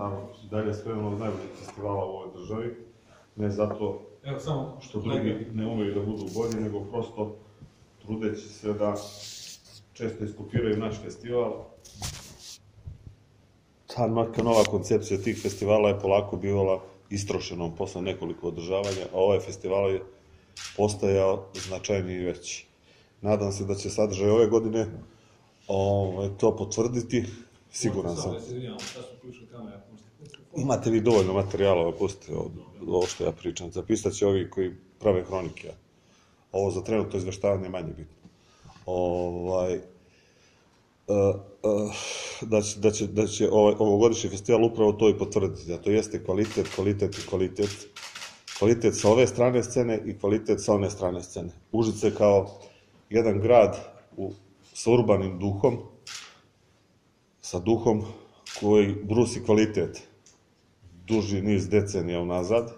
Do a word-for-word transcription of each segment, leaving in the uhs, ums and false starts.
tamo dalje sve jedno od najboljih festivala u ovoj državi. Ne zato što drugi ne umeju da budu bolji, nego prosto trudeći se da često iskopiraju naš festival. Ta neka nova koncepcija tih festivala je polako bivala istrošenom posle nekoliko održavanja, a ovaj festival je postajao značajniji i veći. Nadam se da će sadržaj ove godine to potvrditi, siguran sam. Imate vi dovoljno materijala, pustite ovo što ja pričam, zapisat će ovi koji prave hronike. Ovo za trenutno izveštavanje je manje bitno. Da će ovogodišnji festival upravo to i potvrditi, a to jeste kvalitet, kvalitet i kvalitet. Kvalitet sa ove strane scene i kvalitet sa one strane scene. Užice kao jedan grad sa urbanim duhom, sa duhom koji brusi kvalitet duži niz decenija unazad,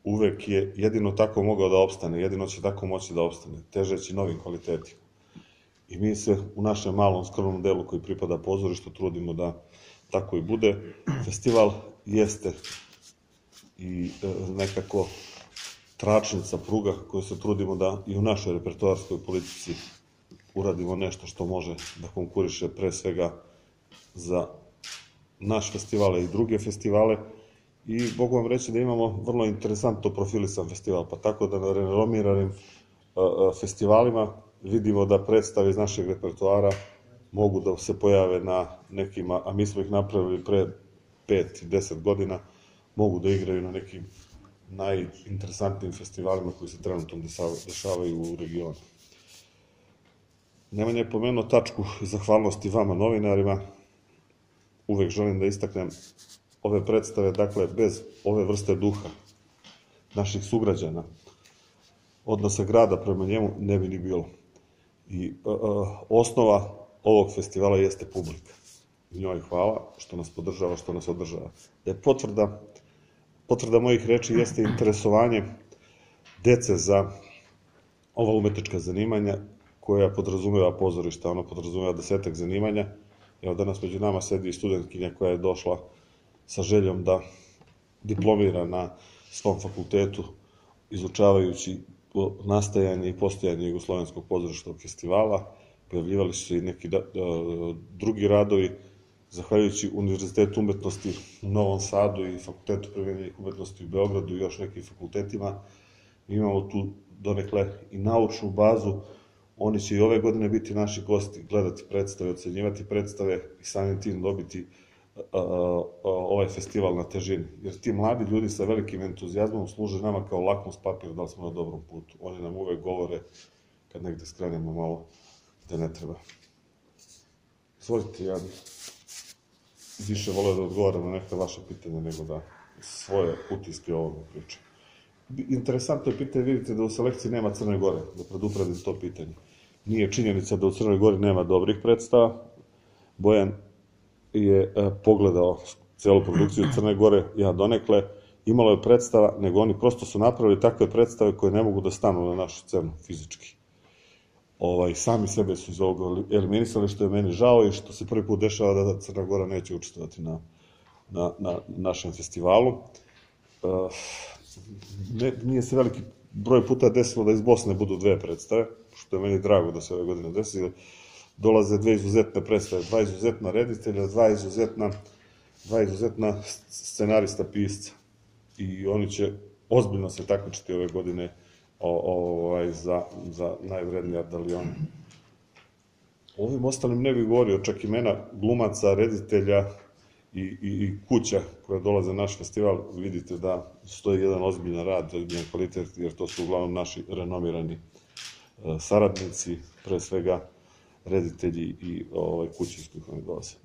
uvek je jedino tako mogao da opstane, jedino će tako moći da opstane, težeći novim kvalitetima. I mi se u našem malom skromnom delu koji pripada pozorištu trudimo da tako i bude. Festival jeste i nekako tračnica, pruga koju se trudimo da i u našoj repertoarskoj politici uradimo nešto što može da konkuriše pre svega za naš festivale i druge festivale. I mogu vam reći da imamo vrlo interesantno profilisan festival, pa tako da na renomiranim festivalima vidimo da predstave iz našeg repertoara mogu da se pojave na nekima, a mi smo ih napravili pre pet i deset godina, mogu da igraju na nekim najinteresantnijim festivalima koji se trenutno dešavaju u regionu. Nemanja je pomenuo tačku zahvalnosti vama novinarima. Uvek želim da istaknem ove predstave, dakle, bez ove vrste duha naših sugrađana, odnosa grada prema njemu ne bi ni bilo. I osnova ovog festivala jeste publika. Njoj hvala što nas podržava, što nas održava. Da je potvrda, potvrda mojih reči jeste interesovanje dece za ova umetnička zanimanja koja podrazumeva pozorište, ono podrazumeva desetak zanimanja. Evo danas među nama sedi studentkinja koja je došla sa željom da diplomira na svom fakultetu, izučavajući nastajanje i postojanje Jugoslovenskog pozorišnog festivala. Pojavljivali su se i neki drugi radovi, zahvaljujući Univerzitetu umetnosti u Novom Sadu i Fakultetu primenjenih umetnosti u Beogradu i još nekim fakultetima. Imamo tu donekle i naučnu bazu. Oni će i ove godine biti naši gosti, gledati predstave, ocenjivati predstave i samim tim dobiti ovaj festival na težini. Jer ti mladi ljudi sa velikim entuzijazmom služe nama kao lakmus papir da li smo na dobrom putu. Oni nam uvek govore kad negde skrenemo malo gde ne treba. Izvolite, ja bih više voleo da odgovaram na neka vaša pitanja nego da svoje utiske o ovome pričam. Interesantno je pitanje, vidite da u selekciji nema Crne Gore, da predupredim to pitanje. Nije činjenica da u Crnoj Gori nema dobrih predstava. Bojan je pogledao celu produkciju Crne Gore, ja donekle, imalo je predstava, nego oni prosto su napravili takve predstave koje ne mogu da stanu na našu scenu fizički. Sami sebe su iz ovoga eliminisali, što je meni žao i što se prvi put dešava da Crna Gora neće učestvovati na našem festivalu. Nije se veliki broj puta desilo da iz Bosne budu dve predstave, što je meni drago da se ove godine desi. Dolaze dve izuzetne predstave, dva izuzetna reditelja, dva izuzetna scenarista, pisca. I oni će ozbiljno se takmičiti ove godine za najvrednije ardalijone. Ovim ostalim ne bih govorio, čak imena glumaca, reditelja i kuća koja dolaze na naš festival, vidite da stoji jedan ozbiljan rad, ozbiljan kvalitet, jer to su uglavnom naši renomirani saradnici, pre svega reditelji i kuće iz kojih oni dolaze.